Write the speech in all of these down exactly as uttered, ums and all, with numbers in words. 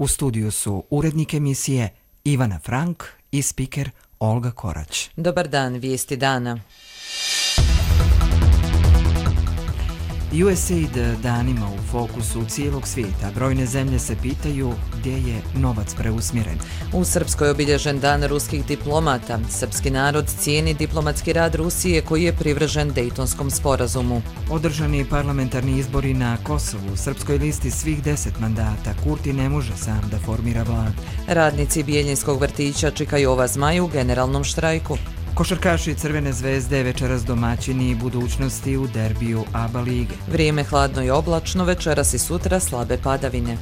studiju su urednik emisije Ivana Frank i spiker Olga Korać. Dobar dan, vijesti dana. U S A I D danima u fokusu cijelog svijeta. Brojne zemlje se pitaju gdje je novac preusmjeren. U Srpskoj je obilježen dan ruskih diplomata. Srpski narod cijeni diplomatski rad Rusije koji je privržen Dejtonskom sporazumu. Održani parlamentarni izbori na Kosovu. Srpskoj listi svih deset mandata. Kurti ne može sam da formira vladu. Radnici Bijeljinskog vrtića čekaju ova zmaj u generalnom štrajku. Košarkaši Crvene zvezde večeras domaćini budućnosti u derbiju A B A lige. Vrijeme hladno i oblačno, večeras i sutra slabe padavine.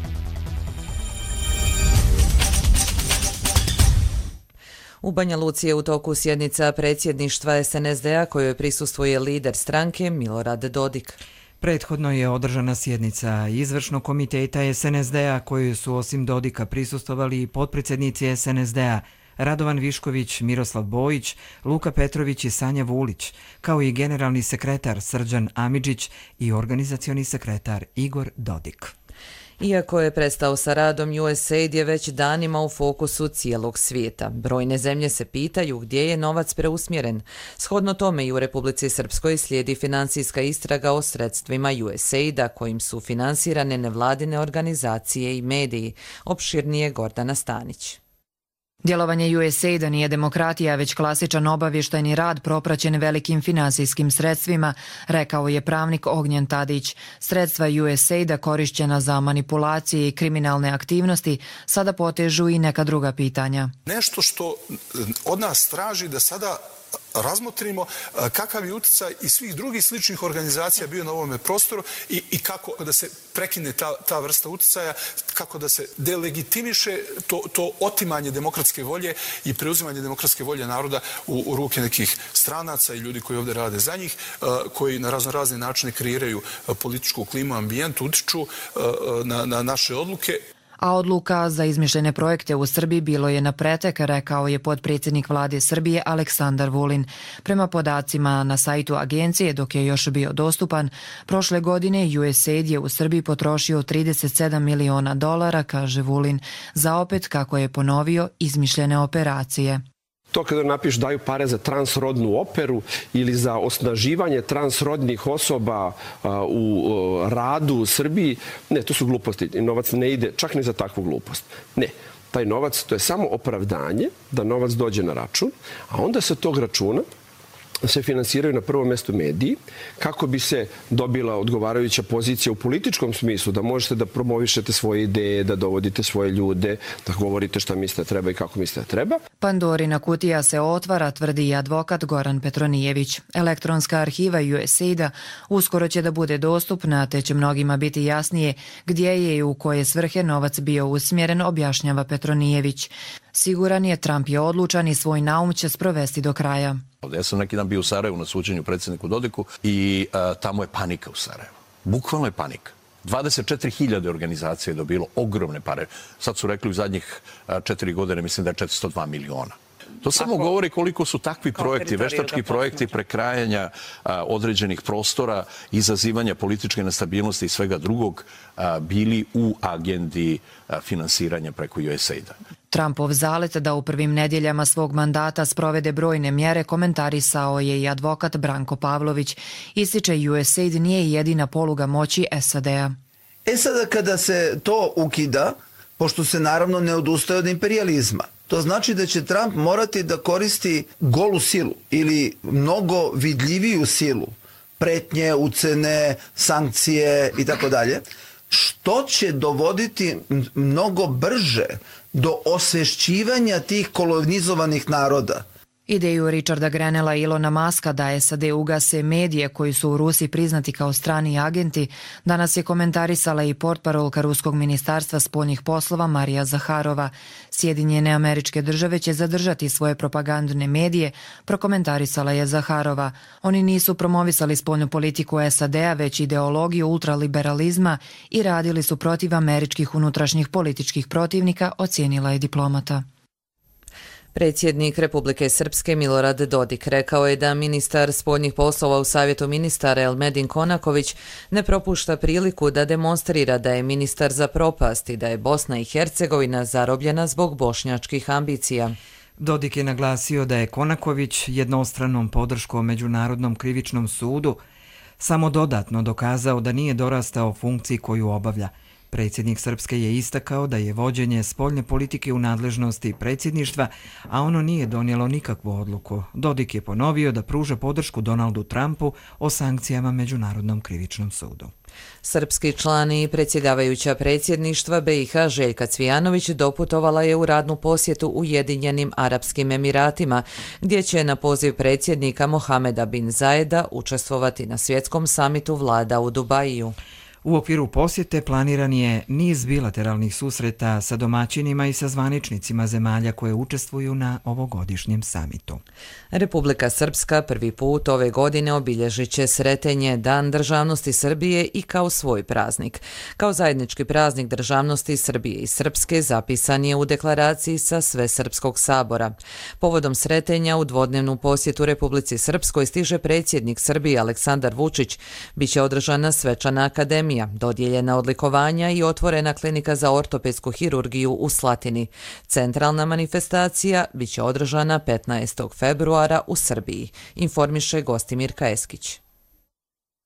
U Banja Luci je u toku sjednica predsjedništva S N S D-a kojoj prisustvuje lider stranke Milorad Dodik. Prethodno je održana sjednica izvršnog komiteta S N S D-a kojoj su osim Dodika prisustvovali i potpredsjednici S N S D-a Radovan Višković, Miroslav Bojić, Luka Petrović i Sanja Vulić, kao i generalni sekretar Srđan Amidžić i organizacioni sekretar Igor Dodik. Iako je prestao sa radom, U S A I D je već danima u fokusu cijelog svijeta. Brojne zemlje se pitaju gdje je novac preusmjeren. Shodno tome i u Republici Srpskoj slijedi financijska istraga o sredstvima U S A I D-a kojim su finansirane nevladine organizacije i mediji. Opširnije Gordana Stanić. Djelovanje U S A I D-a nije demokratija, već klasičan obavještajni rad propraćen velikim finansijskim sredstvima, rekao je pravnik Ognjen Tadić. Sredstva U S A I D-a korišćena za manipulacije i kriminalne aktivnosti sada potežu i neka druga pitanja. Nešto što od nas traži da sada razmotrimo kakav je utjecaj i svih drugih sličnih organizacija bio na ovome prostoru i, i kako da se prekine ta, ta vrsta utjecaja, kako da se delegitimiše to, to otimanje demokratske volje i preuzimanje demokratske volje naroda u, u ruke nekih stranaca i ljudi koji ovdje rade za njih, koji na razno razne načine kreiraju političku klimu, ambijent, utiču na, na naše odluke. A odluka za izmišljene projekte u Srbiji bilo je na pretek, rekao je potpredsjednik vlade Srbije Aleksandar Vulin. Prema podacima na sajtu agencije, dok je još bio dostupan, prošle godine U S A I D je u Srbiji potrošio trideset sedam miliona dolara, kaže Vulin, za opet, kako je ponovio, izmišljene operacije. To kada napiš daju pare za transrodnu operu ili za osnaživanje transrodnih osoba u radu u Srbiji, ne, to su gluposti. Novac ne ide čak ni za takvu glupost. Ne, taj novac, to je samo opravdanje da novac dođe na račun, a onda sa tog računa se finansiraju na prvom mjestu mediji, kako bi se dobila odgovarajuća pozicija u političkom smislu, da možete da promovišete svoje ideje, da dovodite svoje ljude, da govorite šta mislite da treba i kako mislite da treba. Pandorina kutija se otvara, tvrdi i advokat Goran Petronijević. Elektronska arhiva U S A I D-a uskoro će da bude dostupna, te će mnogima biti jasnije gdje je i u koje svrhe novac bio usmjeren, objašnjava Petronijević. Siguran je, Trump je odlučan i svoj naum će sprovesti do kraja. Ja sam neki dan bio u Sarajevu na suđenju predsjedniku Dodiku i a, tamo je panika u Sarajevu. Bukvalno je panika. dvadeset četiri hiljade organizacija je dobilo ogromne pare. Sad su rekli u zadnjih a, četiri godine, mislim da je četiristo dva miliona. To samo Ako, govori koliko su takvi projekti, veštački projekti prekrajanja a, određenih prostora, izazivanja političke nestabilnosti i svega drugog a, bili u agendi a, finansiranja preko U S A I D-a. Trumpov zalet da u prvim nedjeljama svog mandata sprovede brojne mjere komentarisao je i advokat Branko Pavlović. Ističe U S A I D nije jedina poluga moći S A D-a. E sada kada se to ukida, pošto se naravno ne odustaje od imperijalizma, to znači da će Trump morati da koristi golu silu ili mnogo vidljiviju silu, pretnje, ucene, sankcije i tako dalje, što će dovoditi mnogo brže do osvješćivanja tih kolonizovanih naroda. Ideju Richarda Grenella i Ilona Muska da S A D ugase medije koji su u Rusiji priznati kao strani agenti, danas je komentarisala i portparolka Ruskog ministarstva spoljnih poslova Marija Zaharova. Sjedinjene Američke Države će zadržati svoje propagandne medije, prokomentarisala je Zaharova. Oni nisu promovisali spoljnu politiku S A D-a, već ideologiju ultraliberalizma i radili su protiv američkih unutrašnjih političkih protivnika, ocijenila je diplomata. Predsjednik Republike Srpske Milorad Dodik rekao je da ministar spoljnih poslova u Savjetu ministara Elmedin Konaković ne propušta priliku da demonstrira da je ministar za propast i da je Bosna i Hercegovina zarobljena zbog bošnjačkih ambicija. Dodik je naglasio da je Konaković jednostranom podrškom Međunarodnom krivičnom sudu samo dodatno dokazao da nije dorastao funkciji koju obavlja. Predsjednik Srpske je istakao da je vođenje spoljne politike u nadležnosti predsjedništva, a ono nije donijelo nikakvu odluku. Dodik je ponovio da pruža podršku Donaldu Trumpu o sankcijama Međunarodnom krivičnom sudu. Srpski član i predsjedavajuća predsjedništva B i H Željka Cvijanović doputovala je u radnu posjetu Ujedinjenim Arapskim Emiratima, gdje će na poziv predsjednika Mohameda bin Zajeda učestvovati na svjetskom samitu vlada u Dubaju. U okviru posjete planiran je niz bilateralnih susreta sa domaćinima i sa zvaničnicima zemalja koje učestvuju na ovogodišnjem samitu. Republika Srpska prvi put ove godine obilježit će Sretenje, Dan državnosti Srbije i kao svoj praznik. Kao zajednički praznik državnosti Srbije i Srpske zapisan je u deklaraciji sa Svesrpskog sabora. Povodom Sretenja u dvodnevnu posjetu Republici Srpskoj stiže predsjednik Srbije Aleksandar Vučić. Biće održana svečana akademija, dodijeljena odlikovanja i otvorena klinika za ortopedsku hirurgiju u Slatini. Centralna manifestacija biće održana petnaestog februara u Srbiji, informiše Gostimirka Eskić.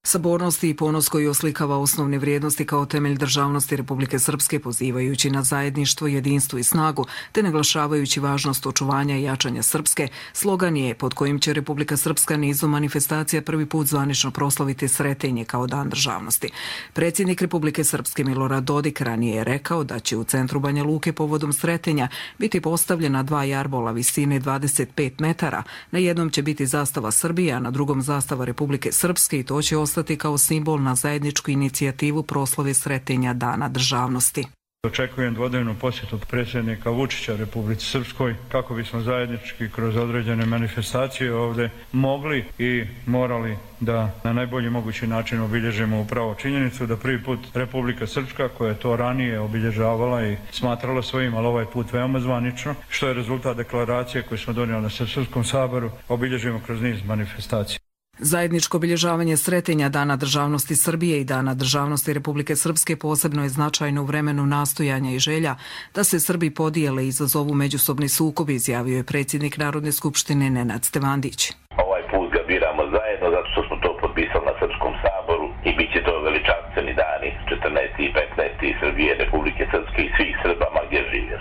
Sabornost i ponos koji oslikava osnovne vrijednosti kao temelj državnosti Republike Srpske, pozivajući na zajedništvo, jedinstvo i snagu, te naglašavajući važnost očuvanja i jačanja Srpske, slogan je pod kojim će Republika Srpska nizu manifestacija prvi put zvanično proslaviti Sretenje kao Dan državnosti. Predsjednik Republike Srpske Milorad Dodik ranije je rekao da će u centru Banja Luke povodom Sretenja biti postavljena dva jarbola visine dvadeset pet metara. Na jednom će biti zastava Srbije, a na drugom zastava Republike Srpske, i to će ostati kao simbol na zajedničku inicijativu proslave Sretenja Dana državnosti. Očekujem dvodnevnu posjetu predsjednika Vučića Republici Srpskoj kako bismo zajednički kroz određene manifestacije ovdje mogli i morali da na najbolji mogući način obilježimo upravo činjenicu da prvi put Republika Srpska, koja je to ranije obilježavala i smatrala svojim, ali ovaj put veoma zvanično, što je rezultat deklaracije koju smo donijeli na Svesrpskom saboru, obilježimo kroz niz manifestacija. Zajedničko obilježavanje Sretenja Dana državnosti Srbije i Dana državnosti Republike Srpske posebno je značajno u vremenu nastojanja i želja da se Srbi podijele i izazovu međusobni sukob, izjavio je predsjednik Narodne skupštine Nenad Stevandić. Ovaj put ga biramo zajedno zato što smo to potpisali na Srpskom saboru i bit će to veličanstveni dani četrnaesti i petnaesti Srbije, Republike Srpske i svih Srba ma gdje žive.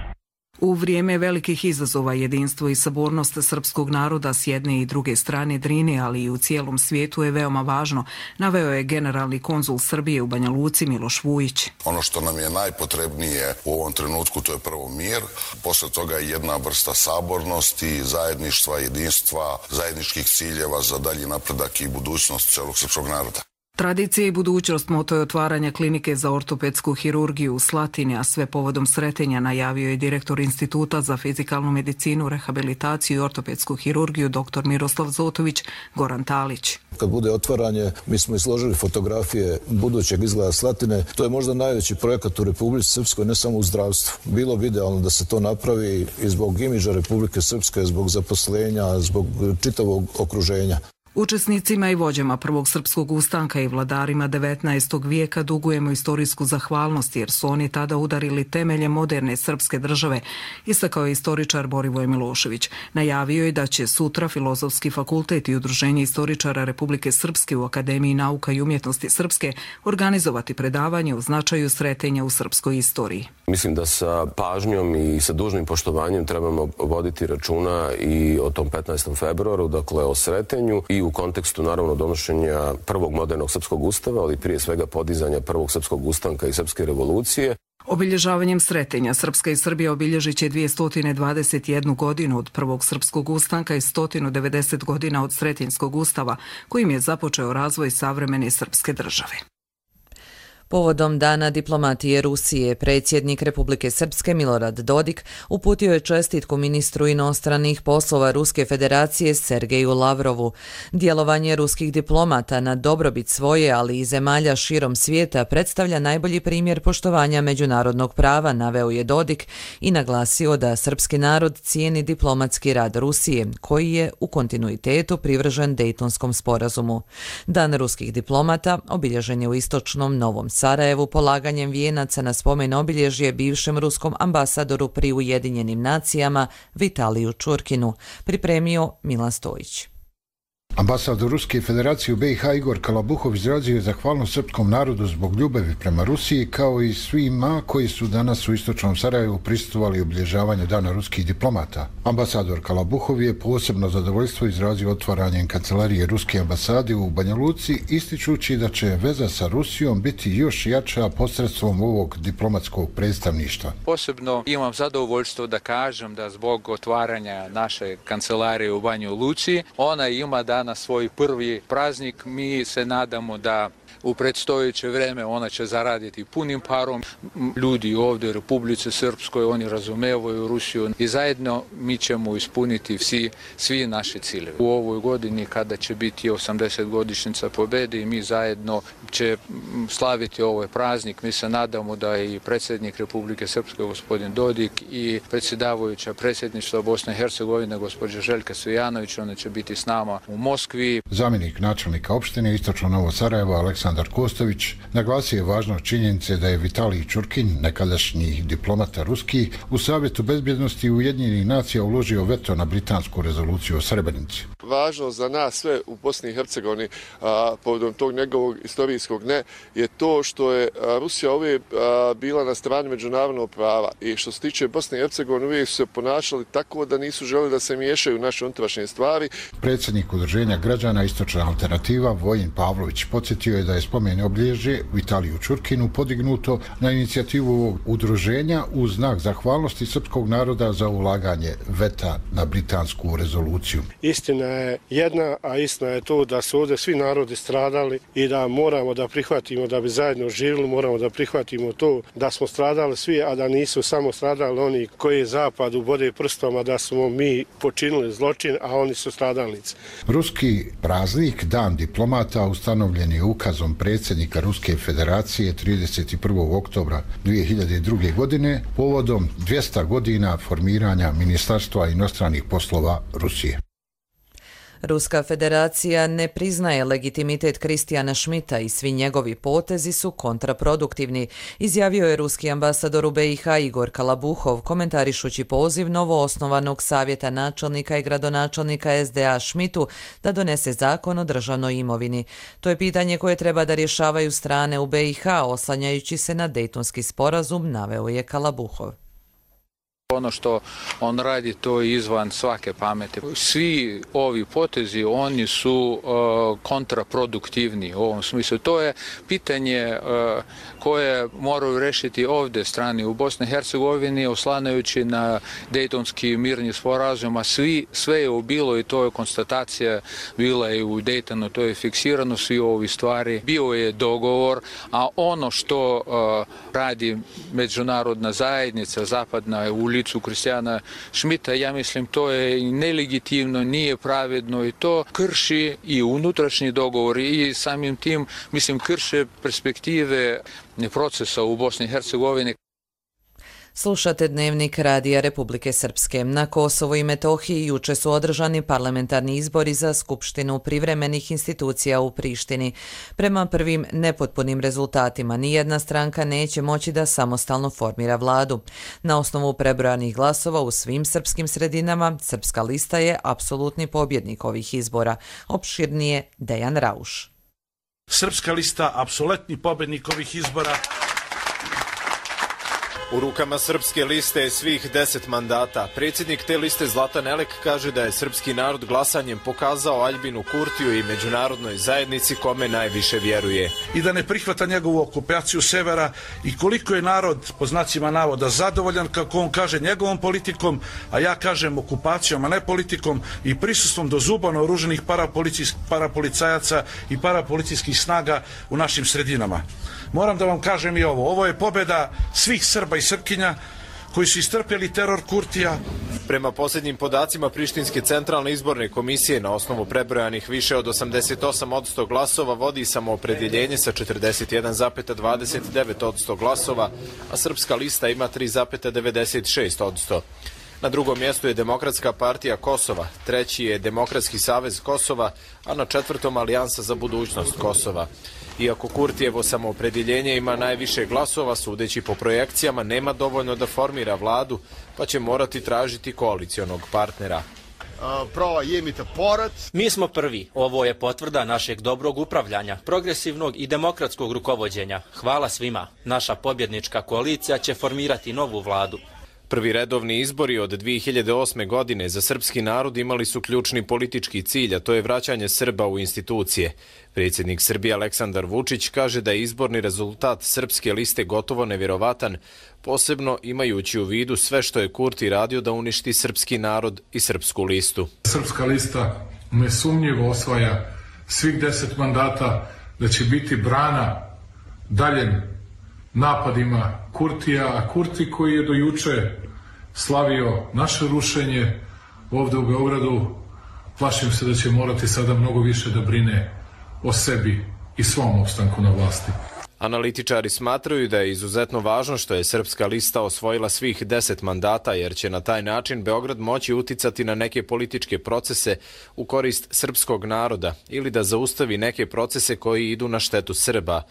U vrijeme velikih izazova jedinstvo i sabornost srpskog naroda s jedne i druge strane Drine, ali i u cijelom svijetu je veoma važno, naveo je generalni konzul Srbije u Banja Luci Miloš Vujić. Ono što nam je najpotrebnije u ovom trenutku to je prvo mir, posle toga je jedna vrsta sabornosti, zajedništva, jedinstva, zajedničkih ciljeva za dalji napredak i budućnost celog srpskog naroda. Tradicija i budućnost moto je otvaranja klinike za ortopedsku hirurgiju u Slatini, a sve povodom Sretenja, najavio je direktor Instituta za fizikalnu medicinu, rehabilitaciju i ortopedsku hirurgiju dr. Miroslav Zotović Goran Talić. Kad bude otvaranje, mi smo izložili fotografije budućeg izgleda Slatine. To je možda najveći projekat u Republici Srpskoj, ne samo u zdravstvu. Bilo bi idealno da se to napravi i zbog imidža Republike Srpske, zbog zaposlenja, zbog čitavog okruženja. Učesnicima i vođama Prvog srpskog ustanka i vladarima devetnaestog vijeka dugujemo istorijsku zahvalnost jer su oni tada udarili temelje moderne srpske države, istakao je istoričar Borivoj Milošević. Najavio je da će sutra Filozofski fakultet i Udruženje istoričara Republike Srpske u Akademiji nauka i umjetnosti Srpske organizovati predavanje o značaju Sretenja u srpskoj istoriji. Mislim da sa pažnjom i sa dužnim poštovanjem trebamo voditi računa i o tom petnaestom februaru, dakle o Sretenju, i u kontekstu naravno donošenja prvog modernog srpskog ustava, ali prije svega podizanja prvog srpskog ustanka i srpske revolucije. Obilježavanjem Sretenja Srpska i Srbija obilježit će dvjesto dvadeset jednu godinu od prvog srpskog ustanka i sto devedeset godina od Sretenjskog ustava, kojim je započeo razvoj savremene srpske države. Povodom Dana diplomatije Rusije, predsjednik Republike Srpske Milorad Dodik uputio je čestitku ministru inostranih poslova Ruske federacije Sergeju Lavrovu. Djelovanje ruskih diplomata na dobrobit svoje, ali i zemalja širom svijeta predstavlja najbolji primjer poštovanja međunarodnog prava, naveo je Dodik i naglasio da srpski narod cijeni diplomatski rad Rusije, koji je u kontinuitetu privržen Dejtonskom sporazumu. Dan ruskih diplomata obilježen je u istočnom Novom Sarajevu polaganjem vijenaca na spomen obilježje bivšem ruskom ambasadoru pri Ujedinjenim nacijama Vitaliju Čurkinu, pripremio Milan Stojić. Ambasador Ruske federacije u B i H Igor Kalabuhov izrazio je zahvalnost srpskom narodu zbog ljubavi prema Rusiji, kao i svima koji su danas u istočnom Sarajevu prisustvovali obilježavanju Dana ruskih diplomata. Ambasador Kalabuhov je posebno zadovoljstvo izrazio otvaranjem kancelarije Ruske ambasade u Banja Luci, ističući da će veza sa Rusijom biti još jača posredstvom ovog diplomatskog predstavništva. Posebno imam zadovoljstvo da kažem da zbog otvaranja naše kancelarije u Banju Luci, ona ima da na svoj prvi praznik. Mi se nadamo da u predstojeće vreme ona će zaraditi punim parom. Ljudi ovdje u Republici Srpskoj, oni razumevaju Rusiju i zajedno mi ćemo ispuniti svi, svi naše ciljeve. U ovoj godini kada će biti osamdeset godišnjica pobjede i mi zajedno će slaviti ovaj praznik, mi se nadamo da i predsjednik Republike Srpske gospodin Dodik i predsjedavajuća predsjedništva Bosne i Hercegovine gospođa Željka Svijanović, ona će biti s nama u Moskvi. Zamjenik načelnika opštine Istočno Novo Sarajevo Aleksandar Kostović naglasio je važnost činjenice da je Vitalij Čurkin, nekadašnji diplomata ruski, u Savjetu bezbjednosti Ujedinjenih nacija uložio veto na britansku rezoluciju o Srebrenici. Važno za nas sve u Bosni i Hercegovini a, povodom tog njegovog istorijskog ne je to što je a, Rusija uvijek a, bila na strani međunarodnog prava i što se tiče Bosne i Hercegovine uvijek su se ponašali tako da nisu želeli da se miješaju u naše unutrašnje stvari. Predsjednik Udruženja građana Istočna alternativa Vojin Pavlović podsjetio je da je spomen obilježje Vitaliju Čurkinu podignuto na inicijativu ovog udruženja u znak zahvalnosti srpskog naroda za ulaganje veta na britansku rezoluciju. Istina je jedna, a istina je to da su ovdje svi narodi stradali i da moramo da prihvatimo da bi zajedno živjeli, moramo da prihvatimo to da smo stradali svi, a da nisu samo stradali oni koji je zapad ubode prstom, a da smo mi počinili zločin, a oni su stradalnici. Ruski praznik, Dan diplomata, ustanovljen je ukazom predsjednika Ruske federacije trideset prvog oktobra dvije hiljade druge. godine povodom dvjesto godina formiranja Ministarstva inostranih poslova Rusije. Ruska federacija ne priznaje legitimitet Kristijana Šmita i svi njegovi potezi su kontraproduktivni, izjavio je ruski ambasador u B i H Igor Kalabuhov, komentarišući poziv novoosnovanog savjeta načelnika i gradonačelnika S D A Šmitu da donese zakon o državnoj imovini. To je pitanje koje treba da rješavaju strane u B i H, oslanjajući se na Dejtonski sporazum, naveo je Kalabuhov. Ono što on radi, to je izvan svake pameti. Svi ovi potezi, oni su uh, kontraproduktivni u ovom smislu. To je pitanje uh, koje moraju rešiti ovdje strani u Bosni i Hercegovini, oslanajući na Dejtonski mirni sporazum, a svi, sve je bilo i to je konstatacija bila i u Dejtonu, to je fiksirano, svi ovi stvari. Bio je dogovor, a ono što uh, radi međunarodna zajednica, zapadna u licu Kristijana Šmita, ja mislim to je nelegitimno, nije pravedno i to krši i unutrašnji dogovor i samim tim, mislim, krše perspektive procesa u Bosni i Hercegovini. Slušate Dnevnik Radija Republike Srpske. Na Kosovu i Metohiji juče su održani parlamentarni izbori za Skupštinu privremenih institucija u Prištini. Prema prvim nepotpunim rezultatima nijedna stranka neće moći da samostalno formira vladu. Na osnovu prebrojanih glasova u svim srpskim sredinama, Srpska lista je apsolutni pobjednik ovih izbora. Opširnije Dejan Rauš. Srpska lista apsolutni pobjednik ovih izbora. U rukama Srpske liste je svih deset mandata. Predsjednik te liste Zlatan Elek kaže da je srpski narod glasanjem pokazao Aljbinu Kurtiju i međunarodnoj zajednici kome najviše vjeruje. I da ne prihvata njegovu okupaciju severa i koliko je narod, po znacima navoda, zadovoljan, kako on kaže, njegovom politikom, a ja kažem okupacijom, a ne politikom i prisustvom do zuba naoruženih parapolicajaca i parapolicijskih snaga u našim sredinama. Moram da vam kažem i ovo. Ovo je pobjeda svih Srba i Srpkinja koji su istrpjeli teror Kurtija. Prema posljednjim podacima Prištinske centralne izborne komisije, na osnovu prebrojanih više od osamdeset osam posto glasova vodi samoopredjeljenje sa četrdeset jedan zarez dvadeset devet posto glasova, a Srpska lista ima tri zarez devedeset šest posto. Na drugom mjestu je Demokratska partija Kosova, treći je Demokratski savez Kosova, a na četvrtom Alijansa za budućnost Kosova. Iako Kurtijevo samoopredjeljenje ima najviše glasova, sudeći po projekcijama nema dovoljno da formira vladu, pa će morati tražiti koalicionog partnera. Mi smo prvi. Ovo je potvrda našeg dobrog upravljanja, progresivnog i demokratskog rukovođenja. Hvala svima. Naša pobjednička koalicija će formirati novu vladu. Prvi redovni izbori od dvije hiljade osme. godine za srpski narod imali su ključni politički cilj, a to je vraćanje Srba u institucije. Predsjednik Srbije Aleksandar Vučić kaže da je izborni rezultat Srpske liste gotovo nevjerovatan, posebno imajući u vidu sve što je Kurti radio da uništi srpski narod i Srpsku listu. Srpska lista nesumnjivo osvaja svih deset mandata, da će biti brana daljem napadima Kurtija, a Kurti koji je do juče slavio naše rušenje ovdje u Beogradu, plašim se da će morati sada mnogo više da brine o sebi i svom opstanku na vlasti. Analitičari smatraju da je izuzetno važno što je Srpska lista osvojila svih deset mandata, jer će na taj način Beograd moći uticati na neke političke procese u korist srpskog naroda ili da zaustavi neke procese koji idu na štetu Srba.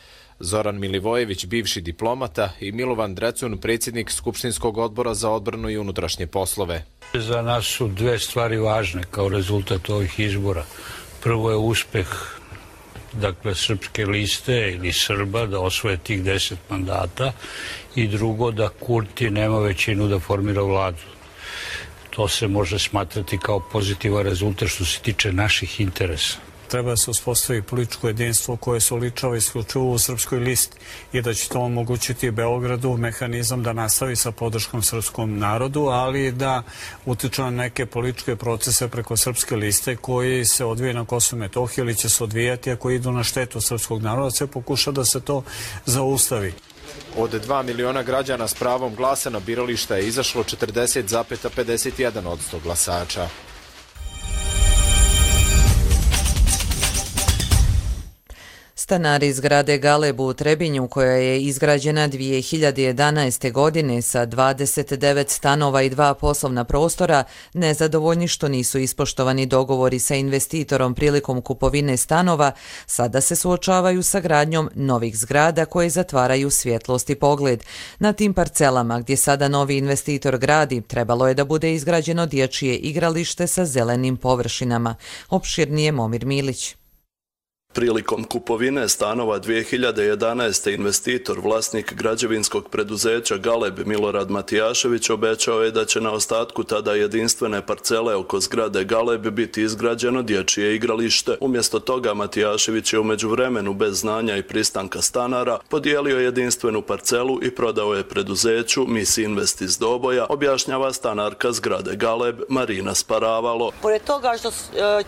Zoran Milivojević, bivši diplomata, i Milovan Drecun, predsjednik Skupštinskog odbora za odbranu i unutrašnje poslove. Za nas su dve stvari važne kao rezultat ovih izbora. Prvo je uspeh dakle Srpske liste ili Srba da osvoje tih deset mandata i drugo da Kurti nema većinu da formira vladu. To se može smatrati kao pozitivan rezultat što se tiče naših interesa. Treba da se uspostavi političko jedinstvo koje se oličava isključivo u Srpskoj listi i da će to omogućiti Beogradu mehanizam da nastavi sa podrškom srpskom narodu, ali da utiče na neke političke procese preko Srpske liste koji se odvije na Kosovu i Metohiji ili će se odvijati, a koji idu na štetu srpskog naroda, se pokuša da se to zaustavi. Od dva miliona građana s pravom glasa na birališta je izašlo četrdeset zarez pedeset jedan posto glasača. Stanari iz zgrade Galeb u Trebinju, koja je izgrađena dvije hiljade jedanaeste. godine sa dvadeset devet stanova i dva poslovna prostora, nezadovoljni što nisu ispoštovani dogovori sa investitorom prilikom kupovine stanova, sada se suočavaju sa gradnjom novih zgrada koje zatvaraju svjetlost i pogled. Na tim parcelama gdje sada novi investitor gradi, trebalo je da bude izgrađeno dječje igralište sa zelenim površinama. Opširnije Momir Milić. Prilikom kupovine stanova dvije hiljade jedanaeste. investitor, vlasnik građevinskog preduzeća Galeb Milorad Matijašević, obećao je da će na ostatku tada jedinstvene parcele oko zgrade Galeb biti izgrađeno dječje igralište. Umjesto toga Matijašević je u međuvremenu bez znanja i pristanka stanara podijelio jedinstvenu parcelu i prodao je preduzeću Mis Invest iz Doboja, objašnjava stanarka zgrade Galeb Marina Sparavalo. Pored toga što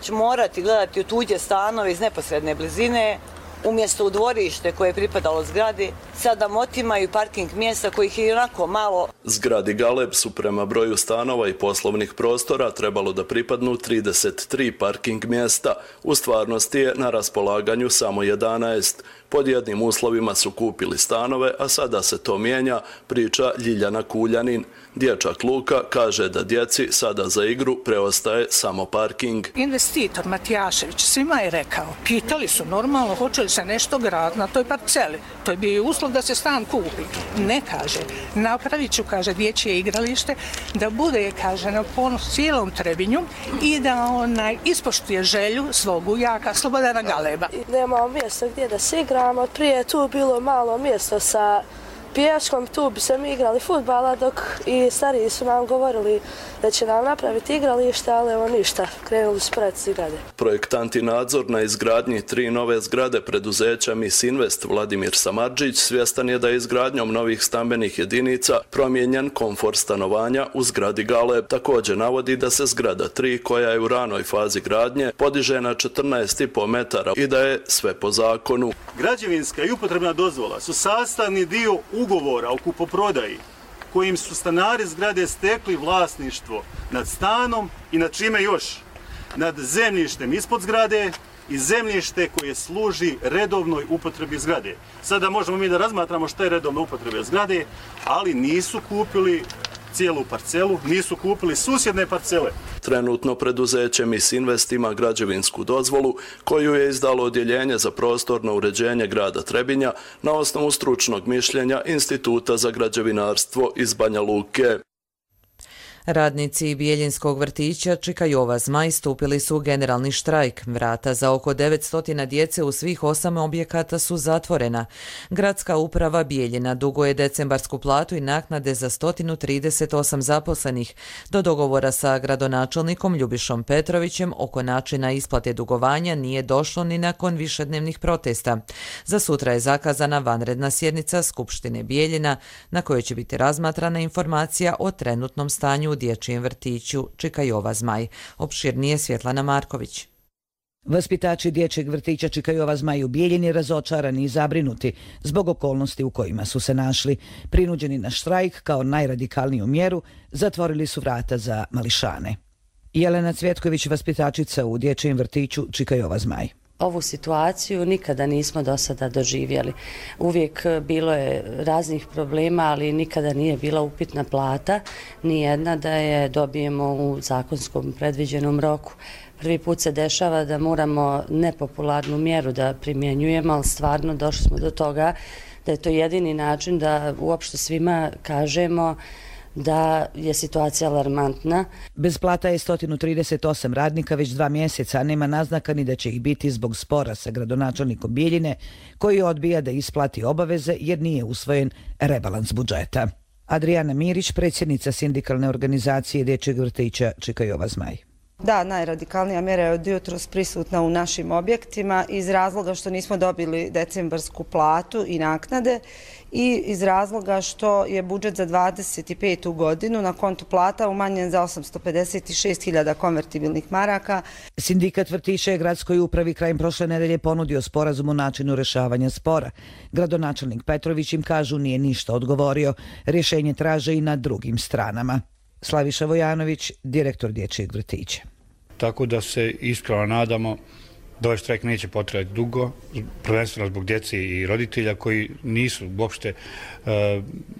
će morati gledati u tuđe stanove iz neposredne blizine, umjesto u dvorište koje je pripadalo zgradi, sada otimaju parking mjesta kojih je onako malo. Zgradi Galeb su prema broju stanova i poslovnih prostora trebalo da pripadnu trideset tri parking mjesta. U stvarnosti je na raspolaganju samo jedanaest. Pod jednim uslovima su kupili stanove, a sada se to mijenja, priča Ljiljana Kuljanin. Dječak Luka kaže da djeci sada za igru preostaje samo parking. Investitor Matijašević svima je rekao, pitali su normalno hoće li se nešto graditi na toj parceli. To je bio uslov da se stan kupi. Ne, kaže, napravit ću, kaže, dječje igralište, da bude, kaže, na ponos cijelom Trebinju i da onaj ispoštuje želju svog ujaka Slobodana Galeba. Nemamo mjesta gdje da se igramo, prije je tu bilo malo mjesto sa pješkom, tu bi se mi igrali fudbala, dok i stariji su nam govorili da će nam napraviti igralište, ali evo ništa, krenuli su pred zgrade. Projektant i nadzor na izgradnji tri nove zgrade preduzeća Misinvest Vladimir Samardžić svjestan je da je izgradnjom novih stambenih jedinica promijenjen komfor stanovanja u zgradi Galeb. Također navodi da se zgrada tri, koja je u ranoj fazi gradnje, podiže na četrnaest i po metara i da je sve po zakonu. Građevinska i upotrebna dozvola su sastavni dio ugovora o kupoprodaji kojim su stanari zgrade stekli vlasništvo nad stanom i nad čime još? Nad zemljištem ispod zgrade i zemljište koje služi redovnoj upotrebi zgrade. Sada možemo mi da razmatramo što je redovna upotreba zgrade, ali nisu kupili cijelu parcelu, nisu kupili susjedne parcele. Trenutno preduzeće Misinvest ima građevinsku dozvolu koju je izdalo odjeljenje za prostorno uređenje grada Trebinja na osnovu stručnog mišljenja Instituta za građevinarstvo iz Banja Luke. Radnici Bijeljinskog vrtića Čika Jova Zmaj stupili su u generalni štrajk. Vrata za oko devetsto djece u svih osam objekata su zatvorena. Gradska uprava Bijeljina duguje decembarsku platu i naknade za sto trideset osam zaposlenih. Do dogovora sa gradonačelnikom Ljubišom Petrovićem oko načina isplate dugovanja nije došlo ni nakon višednevnih protesta. Za sutra je zakazana vanredna sjednica Skupštine Bijeljina na kojoj će biti razmatrana informacija o trenutnom stanju u dječjem vrtiću Čika Jova Zmaj. Opširnije Svjetlana Marković. Vaspitači dječjeg vrtića Čika Jova Zmaj u Bijeljini razočarani i zabrinuti zbog okolnosti u kojima su se našli. Prinuđeni na štrajk kao najradikalniju mjeru, zatvorili su vrata za mališane. Jelena Cvjetković, vaspitačica u dječjem vrtiću Čika Jova Zmaj. Ovu situaciju nikada nismo do sada doživjeli. Uvijek bilo je raznih problema, ali nikada nije bila upitna plata, ni jedna da je dobijemo u zakonskom predviđenom roku. Prvi put se dešava da moramo nepopularnu mjeru da primjenjujemo, ali stvarno došli smo do toga da je to jedini način da uopšte svima kažemo da je situacija alarmantna. Bez plata je sto trideset osam radnika već dva mjeseca, a nema naznaka ni da će ih biti zbog spora sa gradonačelnikom Bijeljine, koji odbija da isplati obaveze jer nije usvojen rebalans budžeta. Adrijana Mirić, predsjednica sindikalne organizacije dječjeg vrtića Čika Jova Zmaj. Da, najradikalnija mjera je od jutros prisutna u našim objektima iz razloga što nismo dobili decembarsku platu i naknade i iz razloga što je budžet za dvadeset petu godinu na kontu plata umanjen za osamsto pedeset šest hiljada konvertibilnih maraka. Sindikat vrtića je gradskoj upravi krajem prošle nedelje ponudio sporazum o načinu rješavanja spora. Gradonačelnik Petrović im, kažu, nije ništa odgovorio. Rješenje traže i na drugim stranama. Slaviša Vojanović, direktor dječjeg vrtića. Tako da se iskreno nadamo da ovaj štrajk neće potrajati dugo, prvenstveno zbog djece i roditelja koji nisu uopšte e,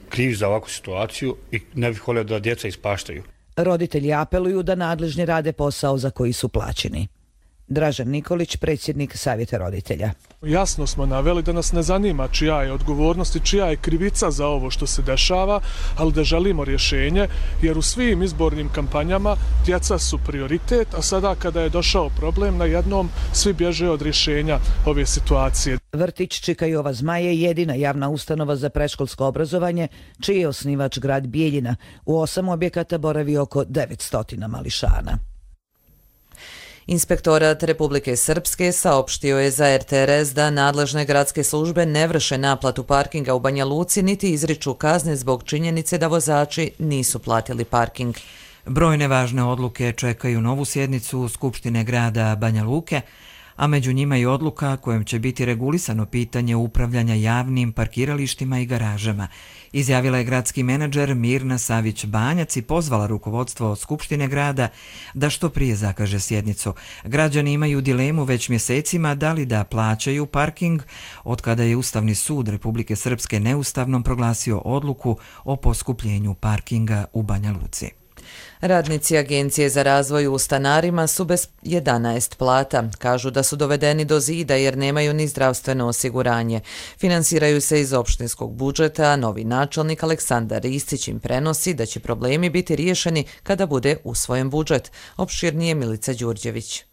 krivi za ovakvu situaciju i ne bih volio da djeca ispaštaju. Roditelji apeluju da nadležni rade posao za koji su plaćeni. Dražen Nikolić, predsjednik Savjeta roditelja. Jasno smo naveli da nas ne zanima čija je odgovornost i čija je krivica za ovo što se dešava, ali da želimo rješenje, jer u svim izbornim kampanjama djeca su prioritet, a sada kada je došao problem, na jednom svi bježe od rješenja ove situacije. Vrtić Čika Jova Zmaj je jedina javna ustanova za predškolsko obrazovanje, čiji je osnivač grad Bijeljina. U osam objekata boravi oko devetsto mališana. Inspektorat Republike Srpske saopštio je za er te er es da nadležne gradske službe ne vrše naplatu parkinga u Banja Luci niti izriču kazne zbog činjenice da vozači nisu platili parking. Brojne važne odluke čekaju novu sjednicu Skupštine grada Banja Luke, a među njima i odluka kojom će biti regulisano pitanje upravljanja javnim parkiralištima i garažama. Izjavila je gradski menadžer Mirna Savić-Banjac i pozvala rukovodstvo Skupštine grada da što prije zakaže sjednicu. Građani imaju dilemu već mjesecima da li da plaćaju parking, od kada je Ustavni sud Republike Srpske neustavnom proglasio odluku o poskupljenju parkinga u Banja Luci. Radnici Agencije za razvoj u stanarima su bez jedanaest plata. Kažu da su dovedeni do zida jer nemaju ni zdravstveno osiguranje. Finansiraju se iz opštinskog budžeta, a novi načelnik Aleksandar Ristić im prenosi da će problemi biti riješeni kada bude usvojen budžet. Opširnije Milica Đurđević.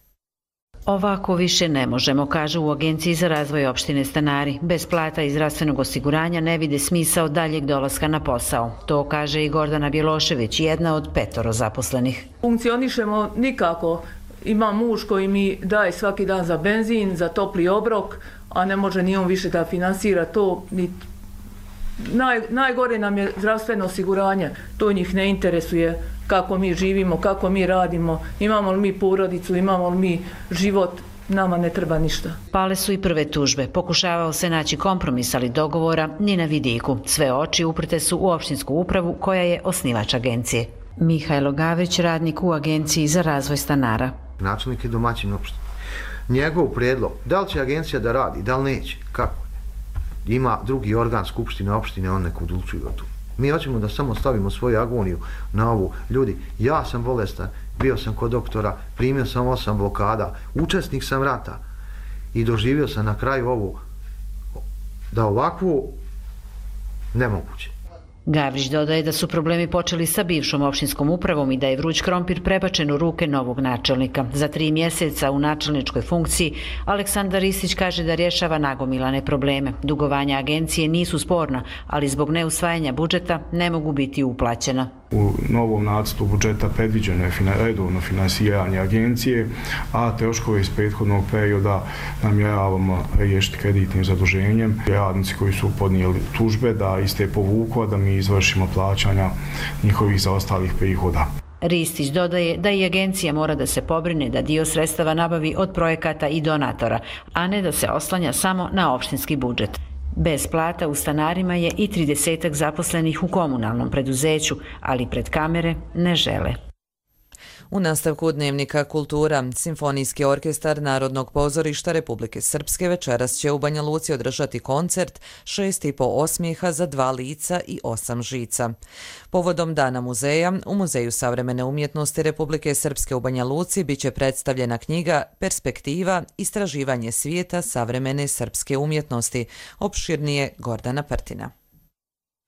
Ovako više ne možemo, kaže u Agenciji za razvoj opštine Stanari. Bez plata i zdravstvenog osiguranja ne vide smisao daljeg dolaska na posao. To kaže i Gordana Bjelošević, jedna od petoro zaposlenih. Funkcionišemo nikako. Ima muž koji mi daje svaki dan za benzin, za topli obrok, a ne može ni on više da finansira to. Ni... Naj, najgore nam je zdravstveno osiguranje. To njih ne interesuje kako mi živimo, kako mi radimo, imamo li mi porodicu, imamo li mi život. Nama ne treba ništa. Pale su i prve tužbe. Pokušavao se naći kompromis, ali dogovora ni na vidiku. Sve oči uprte su u opštinsku upravu koja je osnivač agencije. Mihajlo Gavrić, radnik u Agenciji za razvoj stanara. Načelnik je domaćin opštine. Njegov prijedlog, da li će agencija da radi, da li neće, kako? Ima drugi organ skupštine opštine, on nek odlučuje o tu. Mi hoćemo da samo stavimo svoju agoniju na ovu. Ljudi, ja sam bolestan, bio sam kod doktora, primio sam osam blokada, učesnik sam rata i doživio sam na kraju ovu, da ovakvu nemoguće. Gavrić dodaje da su problemi počeli sa bivšom opštinskom upravom i da je vruć krompir prebačen u ruke novog načelnika. Za tri mjeseca u načelničkoj funkciji Aleksandar Ristić kaže da rješava nagomilane probleme. Dugovanja agencije nisu sporna, ali zbog neusvajanja budžeta ne mogu biti uplaćena. U novom nacrtu budžeta predviđeno je redovno finansiranje agencije, a troškove iz prethodnog perioda namjeravamo riješiti kreditnim zaduženjem. Radnici koji su podnijeli tužbe da iste povuku, da mi izvršimo plaćanja njihovih zaostalih prihoda. Ristić dodaje da i agencija mora da se pobrine da dio sredstava nabavi od projekata i donatora, a ne da se oslanja samo na opštinski budžet. Bez plata u stanarima je i tridesetak zaposlenih u komunalnom preduzeću, ali pred kamere ne žele. U nastavku Dnevnika kultura, Simfonijski orkestar Narodnog pozorišta Republike Srpske večeras će u Banja Luci održati koncert Šest i po osmijeha za dva lica i osam žica. Povodom Dana muzeja, u Muzeju savremene umjetnosti Republike Srpske u Banja Luci biće predstavljena knjiga Perspektiva, istraživanje svijeta savremene srpske umjetnosti, opširnije Gordana Prtina.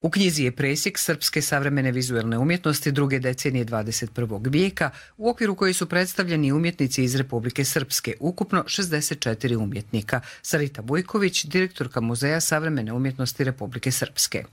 U knjizi je presjek srpske savremene vizualne umjetnosti druge decenije dvadeset prvog vijeka, u okviru koji su predstavljeni umjetnici iz Republike Srpske, ukupno šezdeset četiri umjetnika. Sarita Bujković, direktorka Muzeja savremene umjetnosti Republike Srpske.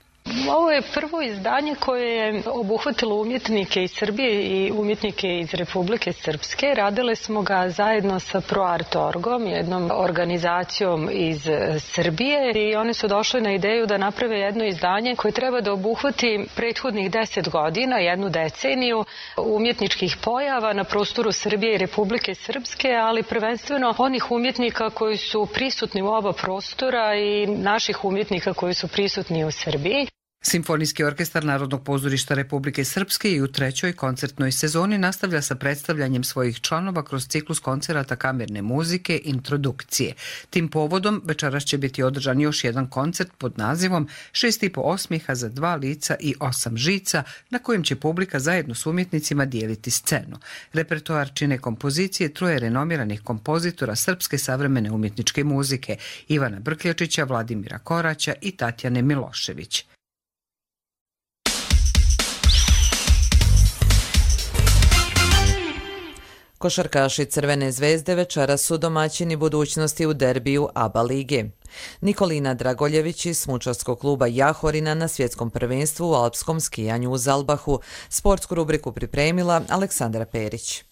Ovo je prvo izdanje koje je obuhvatilo umjetnike iz Srbije i umjetnike iz Republike Srpske. Radile smo ga zajedno sa ProArt.orgom, jednom organizacijom iz Srbije, i oni su došli na ideju da naprave jedno izdanje koje treba da obuhvati prethodnih deset godina, jednu deceniju umjetničkih pojava na prostoru Srbije i Republike Srpske, ali prvenstveno onih umjetnika koji su prisutni u oba prostora i naših umjetnika koji su prisutni u Srbiji. Simfonijski orkestar Narodnog pozorišta Republike Srpske i u trećoj koncertnoj sezoni nastavlja sa predstavljanjem svojih članova kroz ciklus koncerata kamerne muzike Introdukcije. Tim povodom večeras će biti održan još jedan koncert pod nazivom Šest i po osmijeha za dva lica i osam žica, na kojem će publika zajedno s umjetnicima dijeliti scenu. Repertoar čine kompozicije troje renomiranih kompozitora srpske savremene umjetničke muzike, Ivana Brkljačića, Vladimira Koraća i Tatjane Milošević. Košarkaši Crvene zvezde večeras su domaćini budućnosti u derbiju A B A lige. Nikolina Dragoljević iz smučarskog kluba Jahorina na svjetskom prvenstvu u alpskom skijanju u Zalbahu. Sportsku rubriku pripremila Aleksandra Perić.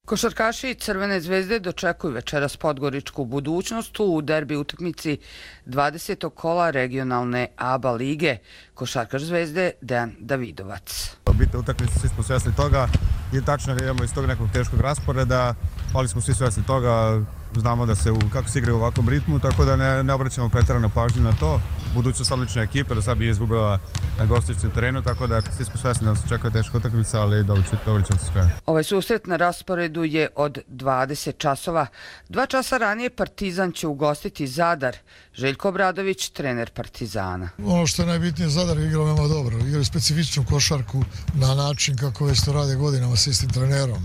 Košarkaši Crvene zvezde dočekuju večeras podgoričku budućnost u derbi utakmici dvadesetog kola regionalne A B A lige. Košarkaš Zvezde Dejan Davidovac. Bitna utakmica, svi smo svjesni toga i tačno da idemo iz tog nekog teškog rasporeda, ali smo svi svjesni toga, znamo da se u, kako se igra u ovakvom ritmu, tako da ne, ne obraćamo pretjeranu pažnju na to. Budućnost odlična ekipa, do sad bi je izgubila na gostujućem terenu, tako da svi smo svjesni da se čeka teška utakmica, ali dobro ćemo se sve. Ovaj susret na rasporedu je od dvadeset časova. Dva časa ranije Partizan će ugostiti Zadar. Željko Obradović, trener Partizana. Ono što je najbitnije, Zadar je igrao veoma dobro. Igrao specifičnu košarku na način kako već to rade godinama s istim trenerom.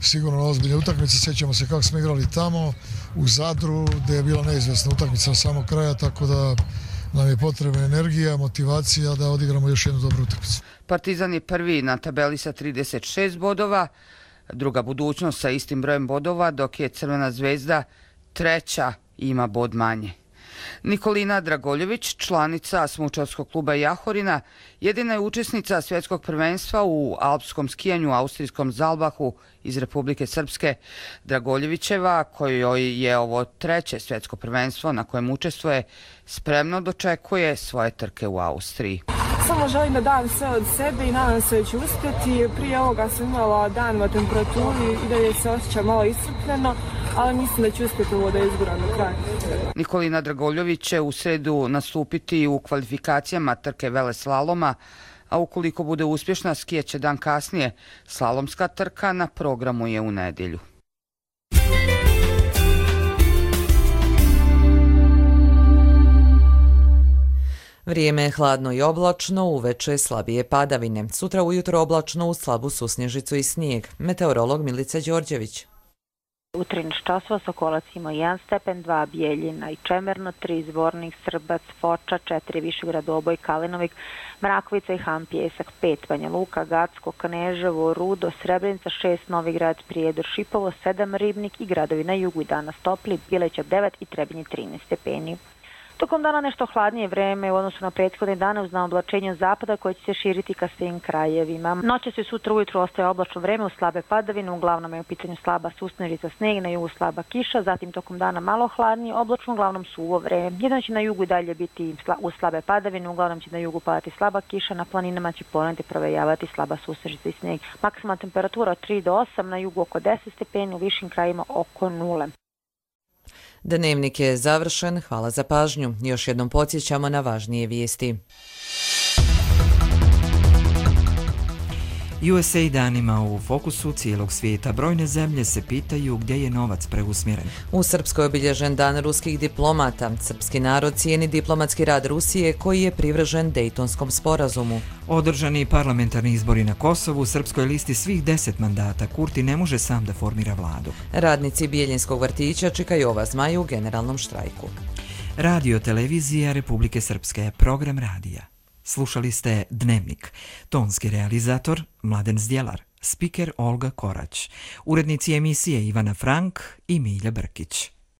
Sigurno ozbiljne utakmice, sjećamo se kako smo igrali tamo u Zadru, gdje je bila neizvjesna utakmica na samog kraja, tako da nam je potrebna energija, motivacija da odigramo još jednu dobru utakmicu. Partizan je prvi na tabeli sa trideset šest bodova, druga Budućnost sa istim brojem bodova, dok je Crvena zvezda treća, ima bod manje. Nikolina Dragoljević, članica smučarskog kluba Jahorina, jedina je učesnica svjetskog prvenstva u alpskom skijanju u austrijskom Zalbahu iz Republike Srpske. Dragoljevićeva, kojoj je ovo treće svjetsko prvenstvo na kojem učestvuje, spremno dočekuje svoje trke u Austriji. Samo želim da dam sve od sebe i nadam se da ću uspjeti. Prije ovoga sam imala dan u temperaturi i dalje se osjeća malo iscrpljeno, ali mislim da ću uspjeti ovo da izguram do kraja. Nikolina Dragoljević će u sredu nastupiti u kvalifikacijama trke veleslaloma, a ukoliko bude uspješna, skijaće dan kasnije. Slalomska trka na programu je u nedjelju. Vrijeme je hladno i oblačno, uveče slabije padavine. Sutra ujutro oblačno uz slabu susnježicu i snijeg. Meteorolog Milica Đorđević. U trinaest časova Sokolac ima jedan stepen, dva Bijeljina i Čemerno, tri Zvornik, Srbac, Foča, četiri Višegrad, Oboj, Kalinovik, Mrakovica i Han Pjesak, pet Banja Luka, Gacko, Kneževo, Rudo, Srebrenica, šest Novigrad, Prijedor, Šipovo, sedam Ribnik i gradovi na jugu i danas topli, Bileća devet i Trebinje trinaest stepeni. Tokom dana nešto hladnije vreme u odnosu na prethodne dane uz naoblačenje zapada koje će se širiti ka svim krajevima. Noće se sutra ujutru ostaje oblačno vreme uz slabe padavine, uglavnom je u pitanju slaba susnežica, sneg, na jugu slaba kiša, zatim tokom dana malo hladnije, oblačno, uglavnom suvo vreme. Jedno će na jugu i dalje biti uz slabe padavine, uglavnom će na jugu padati slaba kiša, na planinama će ponegdje provejavati slaba susnežica i sneg. Maksimalna temperatura od tri do osam, na jugu oko deset stepeni, u višim krajima oko nule. Dnevnik je završen, hvala za pažnju. Još jednom podsjećamo na važnije vijesti. U S A I danima u fokusu cijelog svijeta. Brojne zemlje se pitaju gdje je novac preusmjeren. U Srpskoj je obilježen dan ruskih diplomata. Srpski narod cijeni diplomatski rad Rusije koji je privržen Dejtonskom sporazumu. Održani parlamentarni izbori na Kosovu, Srpskoj listi svih deset mandata. Kurti ne može sam da formira vladu. Radnici Bijeljinskog vrtića čekaju ova zmaj u generalnom štrajku. Radio televizija Republike Srpske, program radija. Slušali ste Dnevnik. Tonski realizator Mladen Zdjelar, spiker Olga Korać, urednici emisije Ivana Frank i Milja Brkić.